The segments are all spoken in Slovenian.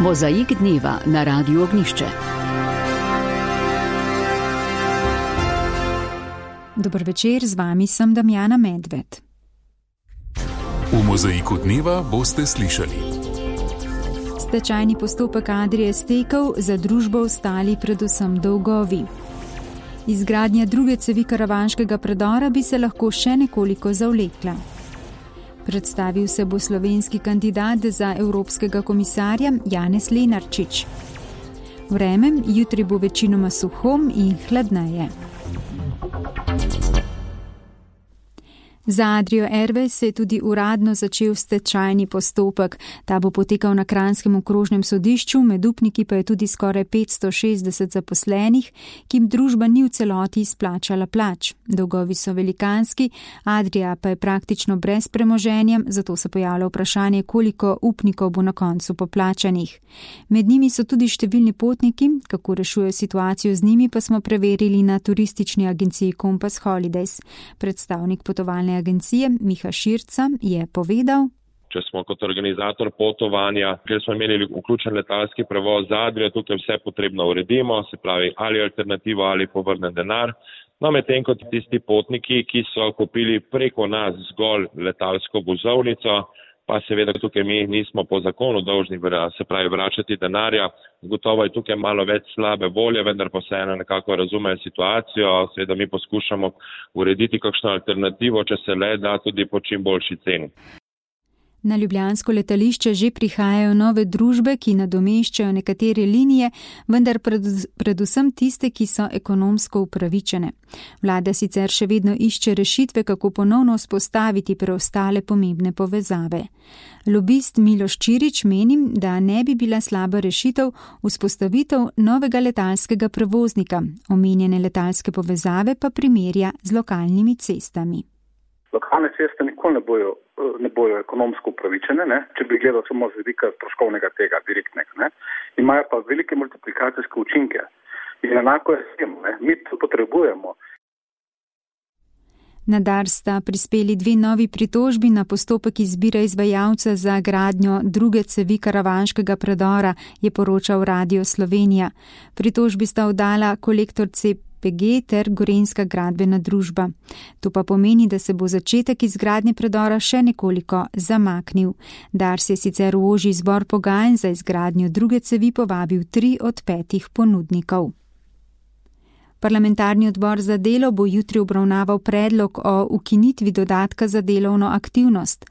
Mozaik dneva na Radiu Ognišče. Dober večer, z vami sem Damjana Medved. V Mozaiku dneva boste slišali. Stečajni postopek Adrie stekel, za družbo ostali predvsem dolgovi. Izgradnja druge cevi karavanškega predora bi se lahko še nekoliko zavlekla. Predstavil se bo slovenski kandidat za evropskega komisarja Janez Lenarčič. Vreme, jutri bo večinoma suho in hladneje. Za Adrio Airways se je tudi uradno začel stečajni postopek. Ta bo potekal na Kranjskem okrožnem sodišču, med upniki pa je tudi skoraj 560 zaposlenih, ki jim družba ni v celoti izplačala plač. Dolgovi so velikanski, Adria pa je praktično brez premoženja, zato se pojavlja vprašanje, koliko upnikov bo na koncu poplačanih. Med njimi so tudi številni potniki, kako rešujejo situacijo z njimi, pa smo preverili na turistični agenciji Compass Holidays. Predstavnik potovalne agencije Miha Širca je povedal: Če smo kot organizator potovanja, ker smo imeli vključen letalski prevoz z Adrio, tukaj vse potrebno uredimo, se pravi ali alternativo ali povrnen denar. No, medtem kot tisti potniki, ki so kupili preko nas zgolj letalsko vozovnico, pa seveda tukaj mi nismo po zakonu dolžni, se pravi vračati denarja. Gotovo je tukaj malo več slabe volje, vendar pa vseeno nekako razumejo situacijo. Seveda mi poskušamo urediti kakšno alternativo, če se le da, tudi po čim boljši ceni. Na ljubljansko letališče že prihajajo nove družbe, ki nadomeščajo nekatere linije, vendar predvsem tiste, ki so ekonomsko upravičene. Vlada sicer še vedno išče rešitve, kako ponovno vzpostaviti preostale pomembne povezave. Lobist Miloš Čirič meni, da ne bi bila slaba rešitev vzpostavitev novega letalskega prevoznika. Omenjene letalske povezave pa primerja z lokalnimi cestami. Lokalne ceste nikoli ne bojo ekonomsko upravičene, če bi gledal samo z vidika stroškovnega tega direktnega. Imajo pa velike multiplikacijske učinke. In enako je s tem, mi to potrebujemo. Na Dars sta prispeli 2 novi pritožbi na postopek izbire izvajalca za gradnjo druge cevi karavanškega predora, je poročal Radio Slovenija. Pritožbi sta oddala Kolektor CPG ter Gorenjska gradbena družba. To pa pomeni, da se bo začetek izgradnje predora še nekoliko zamaknil. Dars je sicer v ožji izbor pogajanj za izgradnjo druge cevi povabil 3 od 5 ponudnikov. Parlamentarni odbor za delo bo jutri obravnaval predlog o ukinitvi dodatka za delovno aktivnost.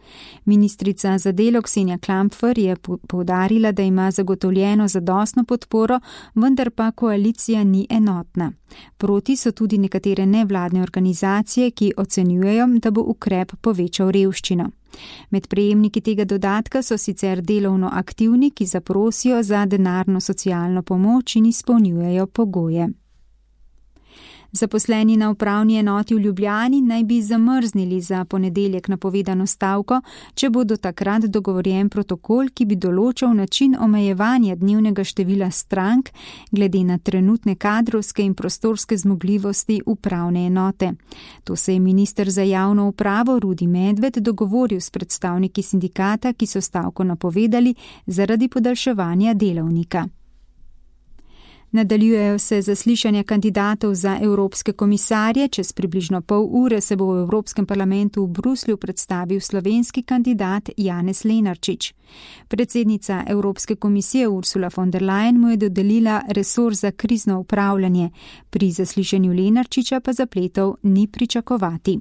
Ministrica za delo Ksenija Klampfer je poudarila, da ima zagotovljeno zadostno podporo, vendar pa koalicija ni enotna. Proti so tudi nekatere nevladne organizacije, ki ocenjujejo, da bo ukrep povečal revščino. Med prejemniki tega dodatka so sicer delovno aktivni, ki zaprosijo za denarno socialno pomoč in izpolnjujejo pogoje. Zaposleni na upravni enoti v Ljubljani naj bi zamrznili za ponedeljek napovedano stavko, če bo do takrat dogovorjen protokol, ki bi določal način omejevanja dnevnega števila strank glede na trenutne kadrovske in prostorske zmogljivosti upravne enote. To se je minister za javno upravo Rudi Medved dogovoril s predstavniki sindikata, ki so stavko napovedali zaradi podaljševanja delovnika. Nadaljujejo se zaslišanja kandidatov za evropske komisarje. Čez približno pol ure se bo v Evropskem parlamentu v Bruslju predstavil slovenski kandidat Janez Lenarčič. Predsednica Evropske komisije Ursula von der Leyen mu je dodelila resor za krizno upravljanje. Pri zaslišanju Lenarčiča pa zapletov ni pričakovati.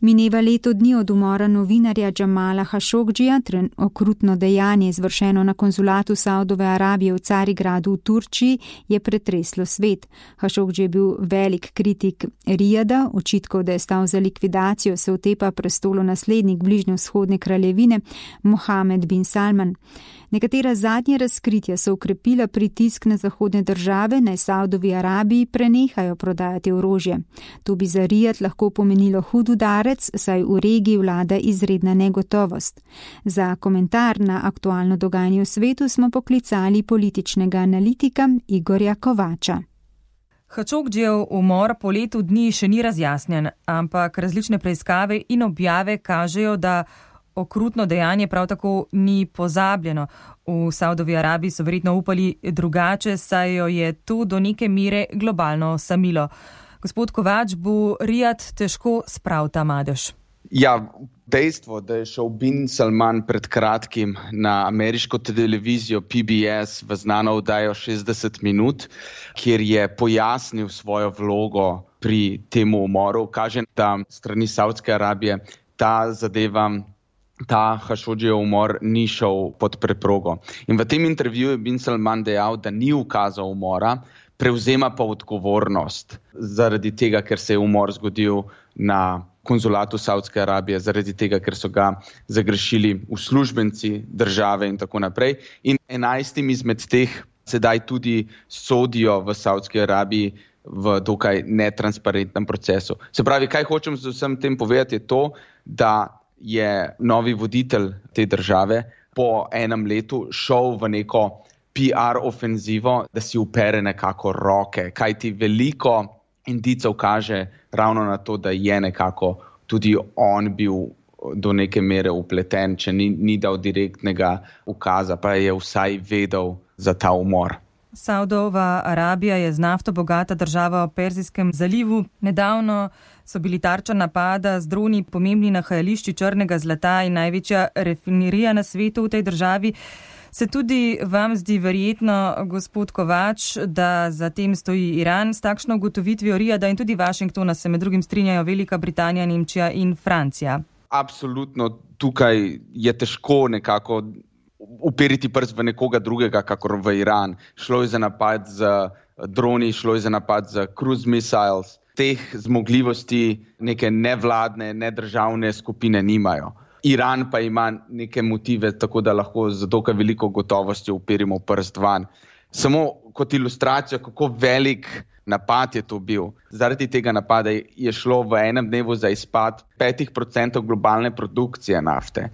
Mineva leto dni od umora novinarja Džamala Hašogdžija, okrutno dejanje izvršeno na konzulatu Saudove Arabije v Carigradu v Turčiji, je pretreslo svet. Hašogdži je bil velik kritik Rijada, očitkov, da je stal za likvidacijo, se otepa prestolonaslednik bližnjevzhodne kraljevine Mohamed bin Salman. Nekatera zadnja razkritja so ukrepila pritisk na zahodne države, naj Saudovi Arabiji prenehajo prodajati orožje. To bi za Rijad lahko pomenilo hud udarec, saj v regiji vlada izredna negotovost. Za komentar na aktualno dogajanje v svetu smo poklicali političnega analitika Igorja Kovača. Hašogdžijev umor po letu dni še ni razjasnjen, ampak različne preiskave in objave kažejo, da okrutno dejanje prav tako ni pozabljeno. V Saudovi Arabiji so verjetno upali drugače, saj jo je to do neke mere globalno osamilo. Gospod Kovač, bo Rijad težko spravil ta madež? Ja, dejstvo, da je šel Bin Salman pred kratkim na ameriško televizijo PBS v znano oddajo 60 minut, kjer je pojasnil svojo vlogo pri temu umoru, kaže, da strani Saudske Arabije ta zadeva, ta Hašodžijev umor ni šel pod preprogo. In v tem intervjuju je Bin Salman dejal, da ni ukazal umora, prevzema pa odgovornost zaradi tega, ker se je umor zgodil na konzulatu Saudske Arabije, zaradi tega, ker so ga zagrešili uslužbenci države in tako naprej. In 11 izmed teh sedaj tudi sodijo v Saudski Arabiji v dokaj netransparentnem procesu. Se pravi, kaj hočem z vsem tem povedati, je to, da je novi voditelj te države po enem letu šel v neko PR ofenzivo, da si upere nekako roke, kajti veliko indicov kaže ravno na to, da je nekako tudi on bil do neke mere upleten, če ni dal direktnega ukaza, pa je vsaj vedel za ta umor. Saudova Arabija je z nafto bogata država v Perzijskem zalivu. Nedavno so bili tarča napada z droni pomembni nahajališči črnega zlata in največja rafinerija na svetu v tej državi. Se tudi vam zdi verjetno, gospod Kovač, da za tem stoji Iran s takšno ugotovitvijo Rijada in tudi Washingtona se med drugim strinjajo Velika Britanija, Nemčija in Francija? Absolutno, tukaj je težko nekako uperiti prst v nekoga drugega, kakor v Iran. Šlo je za napad z droni, šlo je za napad z cruise missiles. Teh zmogljivosti neke nevladne, nedržavne skupine nimajo. Iran pa ima neke motive, tako da lahko z dokaj veliko gotovostjo uperimo prst van. Samo kot ilustracijo, kako velik napad je to bil. Zaradi tega napada je šlo v enem dnevu za izpad 5% globalne produkcije nafte.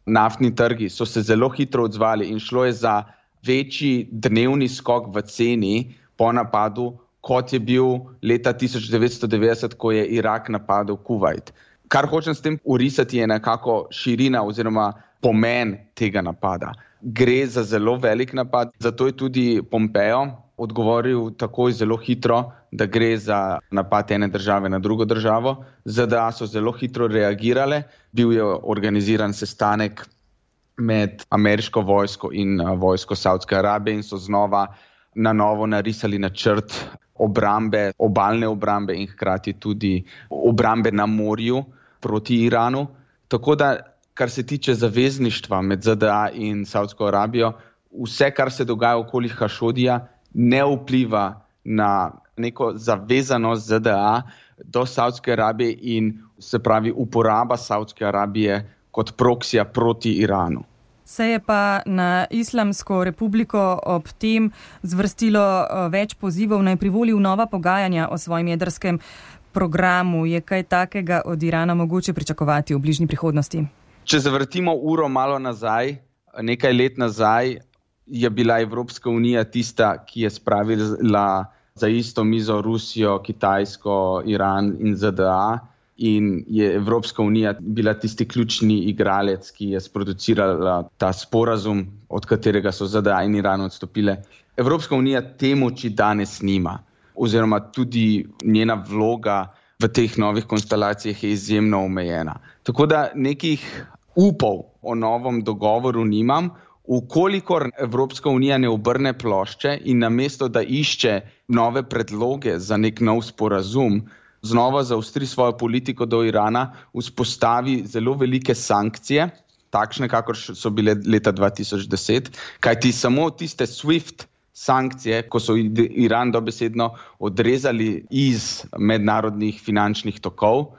Naftni trgi so se zelo hitro odzvali in šlo je za večji dnevni skok v ceni po napadu, kot je bil leta 1990, ko je Irak napadel Kuvajt. Kar hočem s tem urisati je nekako širina oziroma pomen tega napada. Gre za zelo velik napad, zato je tudi Pompeo odgovoril takoj zelo hitro, da gre za napad ene države na drugo državo. ZDA so zelo hitro reagirale, bil je organiziran sestanek med ameriško vojsko in vojsko Saudske Arabije in so znova na novo narisali načrt obrambe, obalne obrambe in hkrati tudi obrambe na morju proti Iranu. Tako da, kar se tiče zavezništva med ZDA in Saudsko Arabijo, vse, kar se dogaja okoli Hašodija, ne vpliva na neko zavezanost ZDA do Saudske Arabije in se pravi uporaba Saudske Arabije kot proksija proti Iranu. Se je pa na Islamsko republiko ob tem zvrstilo več pozivov naj privoli v nova pogajanja o svojem jedrskem programu. Je kaj takega od Irana mogoče pričakovati v bližnji prihodnosti? Če zavrtimo uro malo nazaj, nekaj let nazaj, je bila Evropska unija tista, ki je spravila za isto mizo Rusijo, Kitajsko, Iran in ZDA. In je Evropska unija bila tisti ključni igralec, ki je sproducirala ta sporazum, od katerega so ZDA in Iran odstopile. Evropska unija te moči danes nima, oziroma tudi njena vloga v teh novih konstelacijah je izjemno omejena. Tako da nekih upov o novem dogovoru nimam, ukolikor Evropska unija ne obrne plošče in namesto, da išče nove predloge za nek nov sporazum, znova zaostri svojo politiko do Irana, vzpostavi zelo velike sankcije, takšne, kakor so bile leta 2010, kajti samo tiste SWIFT sankcije, ko so Iran dobesedno odrezali iz mednarodnih finančnih tokov,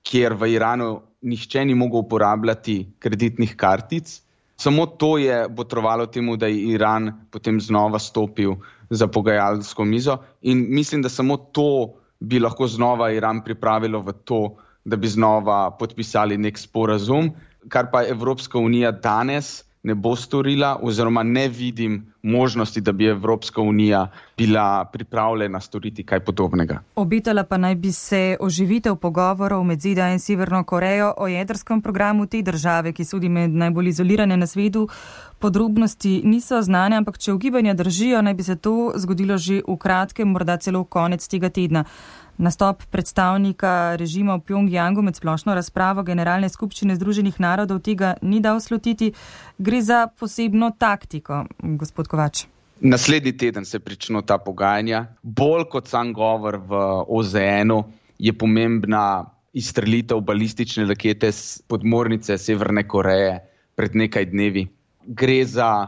kjer v Iranu nihče ni mogel uporabljati kreditnih kartic, samo to je botrovalo temu, da je Iran potem znova stopil za pogajalsko mizo in mislim, da samo to bi lahko znova Iran pripravilo v to, da bi znova podpisali nek sporazum, kar pa Evropska unija danes ne bo storila oziroma ne vidim možnosti, da bi Evropska unija bila pripravljena storiti kaj podobnega. Obetala pa naj bi se oživitev pogovorov med ZDA in Severno Korejo o jedrskem programu te države, ki sodi med najbolj izolirane na svetu. Podrobnosti niso znane, ampak če ugibanja držijo, naj bi se to zgodilo že v kratkem, morda celo konec tega tedna. Nastop predstavnika režima v Pjongjangu med splošno razpravo Generalne skupščine Združenih narodov tega ni dal slutiti. Gre za posebno taktiko, gospod Kovač. Naslednji teden se pričnejo ta pogajanja. Bolj kot sam govor v OZN-u je pomembna izstrelitev balistične rakete s podmornice Severne Koreje pred nekaj dnevi. Gre za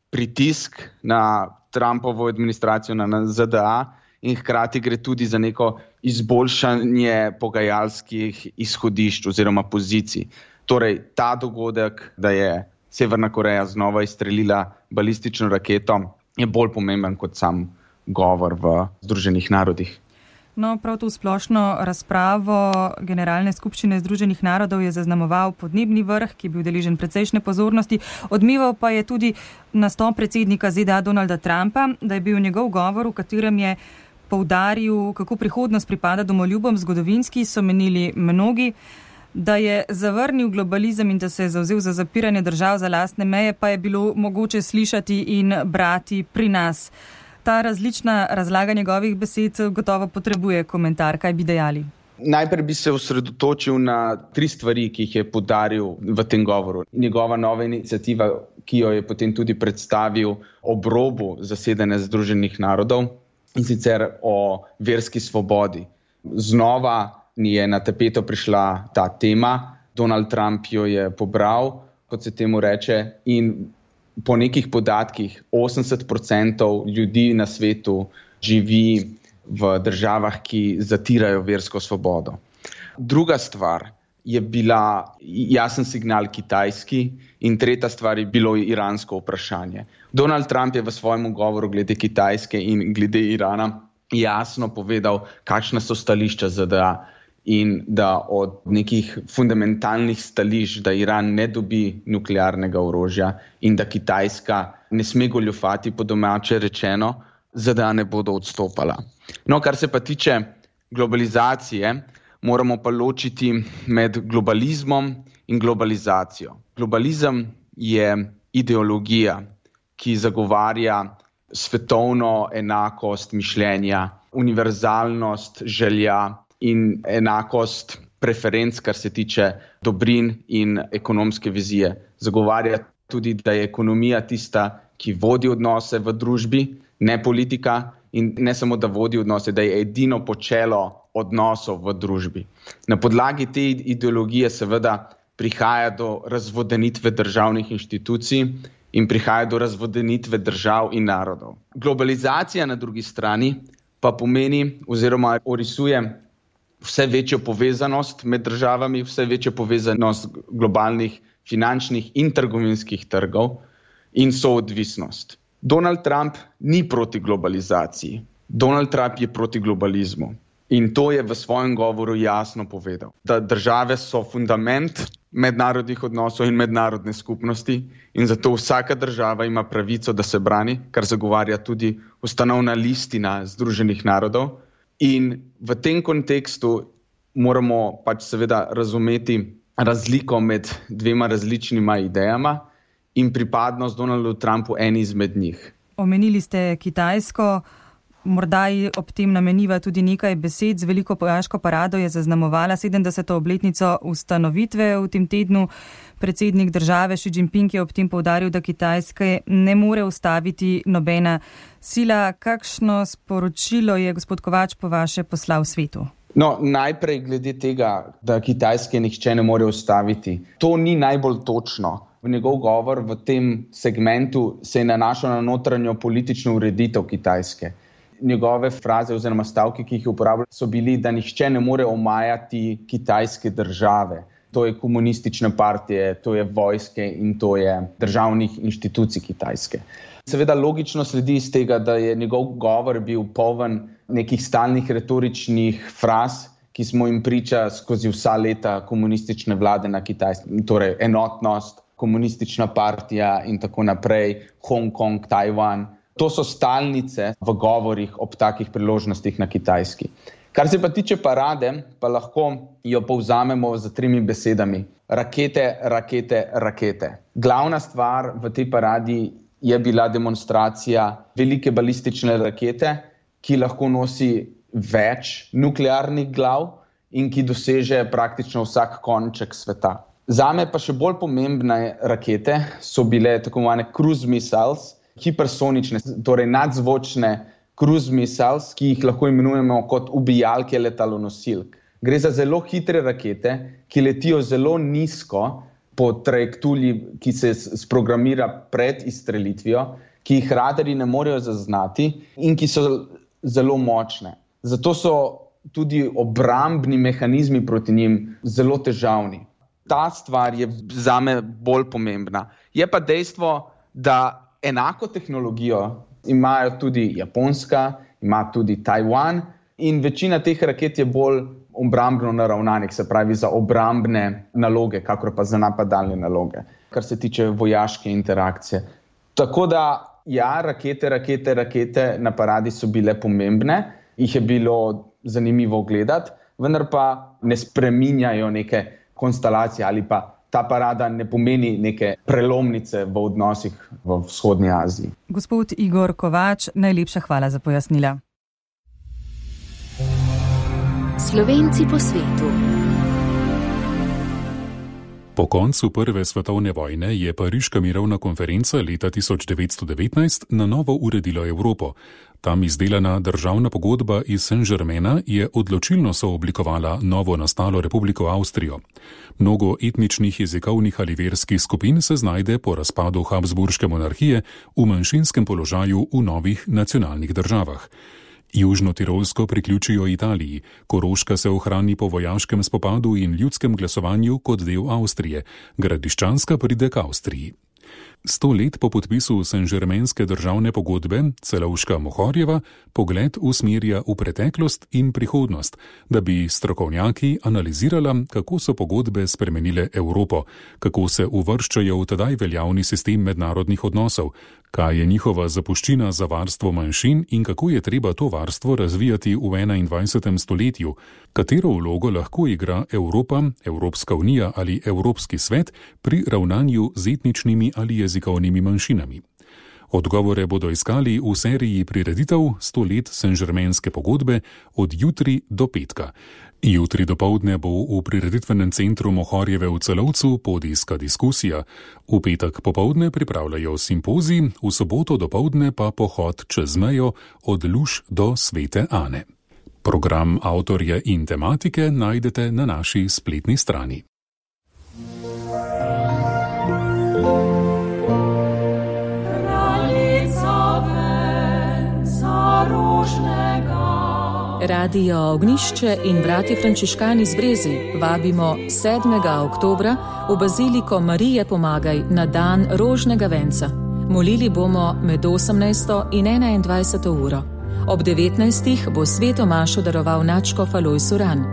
pritisk na Trumpovo administracijo, na ZDA, in hkrati gre tudi za neko izboljšanje pogajalskih izhodišč oziroma pozicij. Torej, ta dogodek, da je Severna Koreja znova izstrelila balistično raketo, je bolj pomemben kot sam govor v Združenih narodih. No, prav to splošno razpravo Generalne skupščine Združenih narodov je zaznamoval podnebni vrh, ki je bil deležen precejšnje pozornosti. Odmeval pa je tudi nastop predsednika ZDA Donalda Trumpa, da je bil njegov govor, v katerem je poudaril, kako prihodnost pripada domoljubom, zgodovinski so menili mnogi, da je zavrnil globalizem in da se je zavzel za zapiranje držav za lastne meje, pa je bilo mogoče slišati in brati pri nas. Ta različna razlaga njegovih besed gotovo potrebuje komentar. Kaj bi dejali? Najprej bi se osredotočil na 3 stvari, ki jih je poudaril v tem govoru. Njegova nova iniciativa, ki jo je potem tudi predstavil ob robu zasedanja Združenih narodov, in sicer o verski svobodi. Znova je na tapeto prišla ta tema, Donald Trump jo je pobral, kot se temu reče, in po nekih podatkih 80% ljudi na svetu živi v državah, ki zatirajo versko svobodo. Druga stvar je bila jasen signal Kitajski in tretja stvar je bilo iransko vprašanje. Donald Trump je v svojem govoru glede Kitajske in glede Irana jasno povedal, kakšna so stališča ZDA in da od nekih fundamentalnih stališč, da Iran ne dobi nuklearnega orožja in da Kitajska ne sme goljufati, po domače rečeno, ZDA ne bodo odstopala. No, kar se pa tiče globalizacije, moramo pa ločiti med globalizmom in globalizacijo. Globalizem je ideologija, ki zagovarja svetovno enakost mišljenja, univerzalnost želja in enakost preferenc, kar se tiče dobrin in ekonomske vizije. Zagovarja tudi, da je ekonomija tista, ki vodi odnose v družbi, ne politika, in ne samo, da vodi odnose, da je edino počelo odnosov v družbi. Na podlagi te ideologije seveda prihaja do razvodenitve državnih inštitucij in prihaja do razvodenitve držav in narodov. Globalizacija na drugi strani pa pomeni oziroma orisuje vse večjo povezanost med državami, vse večjo povezanost globalnih finančnih in trgovinskih trgov in soodvisnost. Donald Trump ni proti globalizaciji. Donald Trump je proti globalizmu. In to je v svojem govoru jasno povedal, da države so fundament mednarodnih odnosov in mednarodne skupnosti in zato vsaka država ima pravico, da se brani, kar zagovarja tudi ustanovna listina Združenih narodov. In v tem kontekstu moramo pač seveda razumeti razliko med dvema različnima idejama in pripadnost Donaldu Trumpu eni izmed njih. Omenili ste Kitajsko. Morda ob tem nameniva tudi nekaj besed. Z veliko vojaško parado je zaznamovala 70. obletnico ustanovitve v tem tednu. Predsednik države Xi Jinping je ob tem poudaril, da Kitajske ne more ustaviti nobena sila. Kakšno sporočilo je gospod Kovač po vaše poslal svetu? No, najprej glede tega, da Kitajske nihče ne more ustaviti. To ni najbolj točno. Njegov govor v tem segmentu se je nanašal na notranjo politično ureditev Kitajske. Njegove fraze oziroma stavki, ki jih uporablja, so bili, da nihče ne more omajati kitajske države. To je komunistične partije, to je vojske in to je državnih inštitucij Kitajske. Seveda logično sledi iz tega, da je njegov govor bil poln nekih stalnih retoričnih fraz, ki smo jim priča skozi vsa leta komunistične vlade na Kitajskem. Torej enotnost, komunistična partija in tako naprej, Hongkong, Tajvan. To so stalnice v govorih ob takih priložnostih na Kitajski. Kar se pa tiče parade, pa lahko jo povzamemo z 3 besedami. Rakete, rakete, rakete. Glavna stvar v tej paradi je bila demonstracija velike balistične rakete, ki lahko nosi več nuklearnih glav in ki doseže praktično vsak konček sveta. Zame pa še bolj pomembne rakete so bile tako imenovane cruise missiles, hipersonične, torej nadzvočne cruise missiles, ki jih lahko imenujemo kot ubijalke letalonosilk. Gre za zelo hitre rakete, ki letijo zelo nizko po trajektoriji, ki se sprogramira pred izstrelitvijo, ki jih radarji ne morejo zaznati in ki so zelo močne. Zato so tudi obrambni mehanizmi proti njim zelo težavni. Ta stvar je zame bolj pomembna. Je pa dejstvo, da enako tehnologijo imajo tudi Japonska, ima tudi Tajvan in večina teh raket je bolj obrambno naravnanih, se pravi za obrambne naloge, kakor pa za napadalne naloge, kar se tiče vojaške interakcije. Tako da, ja, rakete na paradi so bile pomembne, jih je bilo zanimivo gledati, vendar pa ne spreminjajo neke konstelacije ali pa ta parada ne pomeni neke prelomnice v odnosih v vzhodnji Aziji. Gospod Igor Kovač, najlepša hvala za pojasnila. Slovenci po svetu. Po koncu Prve svetovne vojne je Pariška mirovna konferenca leta 1919 na novo uredila Evropo. Tam izdelana državna pogodba iz Saint-Germaina je odločilno sooblikovala novo nastalo Republiko Avstrijo. Mnogo etničnih, jezikovnih ali verskih skupin se znajde po razpadu Habsburške monarhije v manjšinskem položaju v novih nacionalnih državah. Južno Tirolsko priključijo Italiji, Koroška se ohrani po vojaškem spopadu in ljudskem glasovanju kot del Avstrije, Gradiščanska pride k Avstriji. 100 let po podpisu Saint-Germainske državne pogodbe Celovška Mohorjeva pogled usmerja v preteklost in prihodnost, da bi strokovnjaki analizirala, kako so pogodbe spremenile Evropo, kako se uvrščajo v tedaj veljavni sistem mednarodnih odnosov, kaj je njihova zapuščina za varstvo manjšin in kako je treba to varstvo razvijati v 21. stoletju, katero vlogo lahko igra Evropa, Evropska unija ali Evropski svet pri ravnanju z etničnimi ali jezikovnimi manjšinami. Odgovore bodo iskali v seriji prireditev 100 let Saint-Germainske pogodbe od jutri do petka. Jutri dopoldne bo v prireditvenem centru Mohorjeve v Celovcu podijska diskusija, v petek popoldne pripravljajo simpozij, v soboto dopoldne pa pohod čez mejo od Luž do Svete Ane. Program avtorja in tematike najdete na naši spletni strani. Radio Ognjišče in bratje frančiškani z Brezi vabimo 7. oktobra v Baziliko Marije Pomagaj na dan rožnega venca. Molili bomo med 18. in 21. uro. Ob 19. bo sveto mašo daroval nadškof Alojz Uran.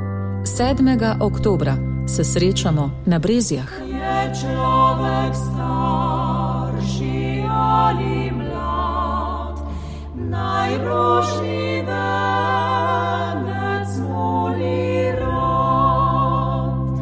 7. oktobra se srečamo na Brezjah. Je človek starši ali mlad, najrožni venec moli rad.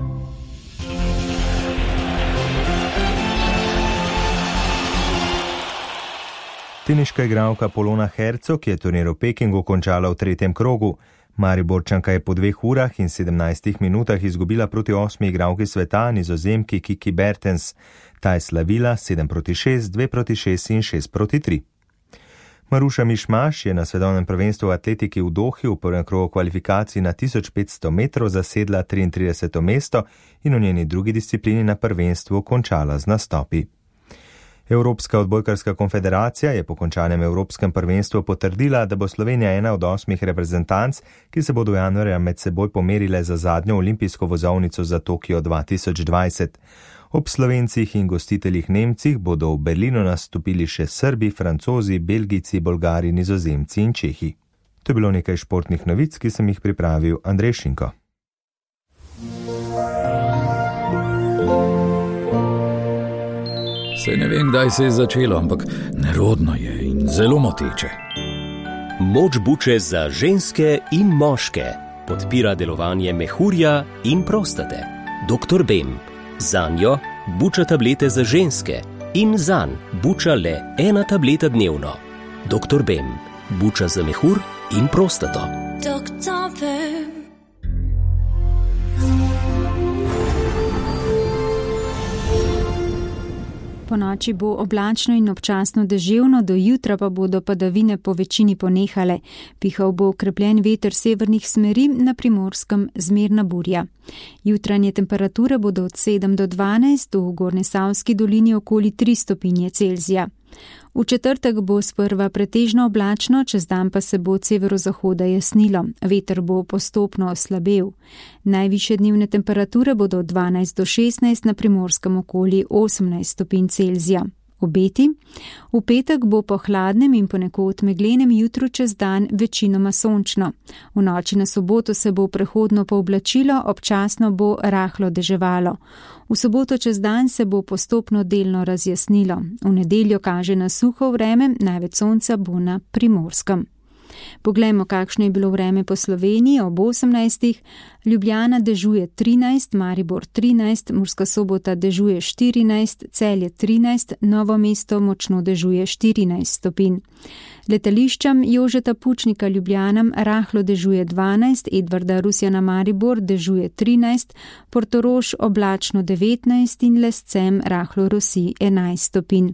Teniška igralka Polona Hercog je turnir v Pekingu končala v 3. krogu. Mariborčanka je po 2 urah in 17 minutah izgubila proti 8. igralki sveta, Nizozemki Kiki Bertens. Ta je slavila 7-6, 2-6 in 6-3. Maruša Mišmaš je na svetovnem prvenstvu v atletiki v Dohi v prvem krogu kvalifikacij na 1500 metrov zasedla 33. mesto in v njeni drugi disciplini na prvenstvu končala z nastopi. Evropska odbojkarska konfederacija je po končanem evropskem prvenstvu potrdila, da bo Slovenija ena od 8 reprezentanc, ki se bodo januarja med seboj pomerile za zadnjo olimpijsko vozovnico za Tokio 2020. Ob Slovencih in gostiteljih Nemcih bodo v Berlinu nastopili še Srbi, Francozi, Belgijci, Bolgari, Nizozemci in Čehi. To je bilo nekaj športnih novic, ki sem jih pripravil Andrej Šinko. Se ne vem, kdaj se je začelo, ampak nerodno je in zelo moteče. Moč buče za ženske in moške podpira delovanje mehurja in prostate. Dr. Bem. Zanjo buča tablete za ženske in zanj buča le 1 tableta dnevno. Dr. Bem. Buča za mehur in prostato. Dr. Bem. Po noči bo oblačno in občasno deževno, do jutra pa bodo padavine po večini ponehale. Pihal bo okrepljen veter severnih smeri, na Primorskem zmerna burja. Jutranje temperature bodo od 7 do 12, v Gornjesavski dolini okoli 3 stopinje Celzija. V četrtek bo sprva pretežno oblačno, čez dan pa se bo od severozahoda jasnilo. Veter bo postopno oslabel. Najvišje dnevne temperature bodo od 12 do 16, na Primorskem okoli 18 stopinj Celzija. Obeti. V petek bo po hladnem in ponekod meglenem jutru čez dan večinoma sončno. V noči na soboto se bo prehodno pooblačilo, občasno bo rahlo deževalo. V soboto čez dan se bo postopno delno razjasnilo. V nedeljo kaže na suho vreme, največ sonca bo na Primorskem. Poglejmo, kakšno je bilo vreme po Sloveniji ob 18. Ljubljana dežuje 13, Maribor 13, Murska Sobota dežuje 14, Celje 13, Novo mesto močno dežuje 14 stopinj. Letališčem Jožeta Pučnika Ljubljana rahlo dežuje 12, Edvarda Rusjana Maribor dežuje 13, Portorož oblačno 19 in Lescem rahlo rosi 11 stopinj.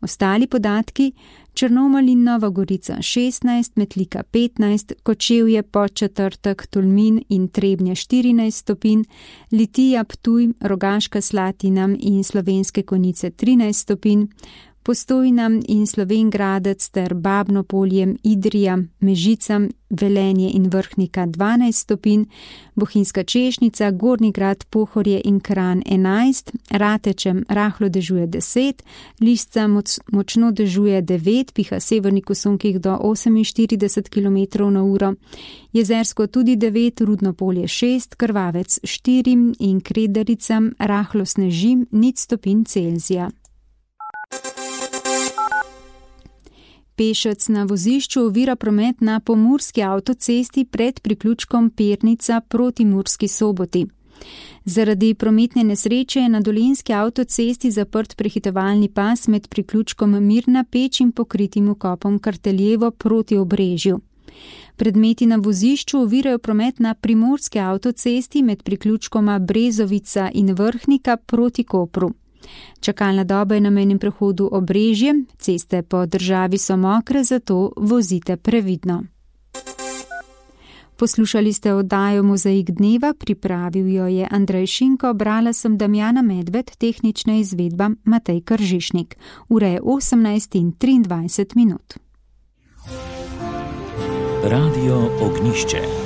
Ostali podatki: Črnomelj in Nova Gorica 16, Metlika 15, Kočevje, Podčetrtek, Tolmin in Trebnje 14 stopinj, Litija, Ptuj, Rogaška Slatina in Slovenske Konjice 13 stopinj, Postojna in Slovenj Gradec ter Babno Polje, Idrija, Mežica, Velenje in Vrhnika 12 stopinj, Bohinjska Češnica, Gornji Grad, Pohorje in Kranj 11, Ratečem rahlo dežuje 10, Lisca močno dežuje 9, piha severnik v sunkih do 48 km/h, Jezersko tudi 9, Rudno Polje 6, Krvavec 4 in Kredarica rahlo sneži 0 stopinj Celzija. Pešec na vozišču ovira promet na pomurski avtocesti pred priključkom Pernica proti Murski Soboti. Zaradi prometne nesreče je na dolenjski avtocesti zaprt prehitevalni pas med priključkom Mirna Peč in pokritim vkopom Karteljevo proti Obrežju. Predmeti na vozišču ovirajo promet na primorski avtocesti med priključkoma Brezovica in Vrhnika proti Kopru. Čakalna doba je na mejnem prehodu Obrežje, ceste po državi so mokre, zato vozite previdno. Poslušali ste oddajo Mozaik dneva, pripravil jo je Andrej Šinko, brala sem Damjana Medved, tehnična izvedba Matej Kržišnik. Ura je 18:23. Radio Ognjišče.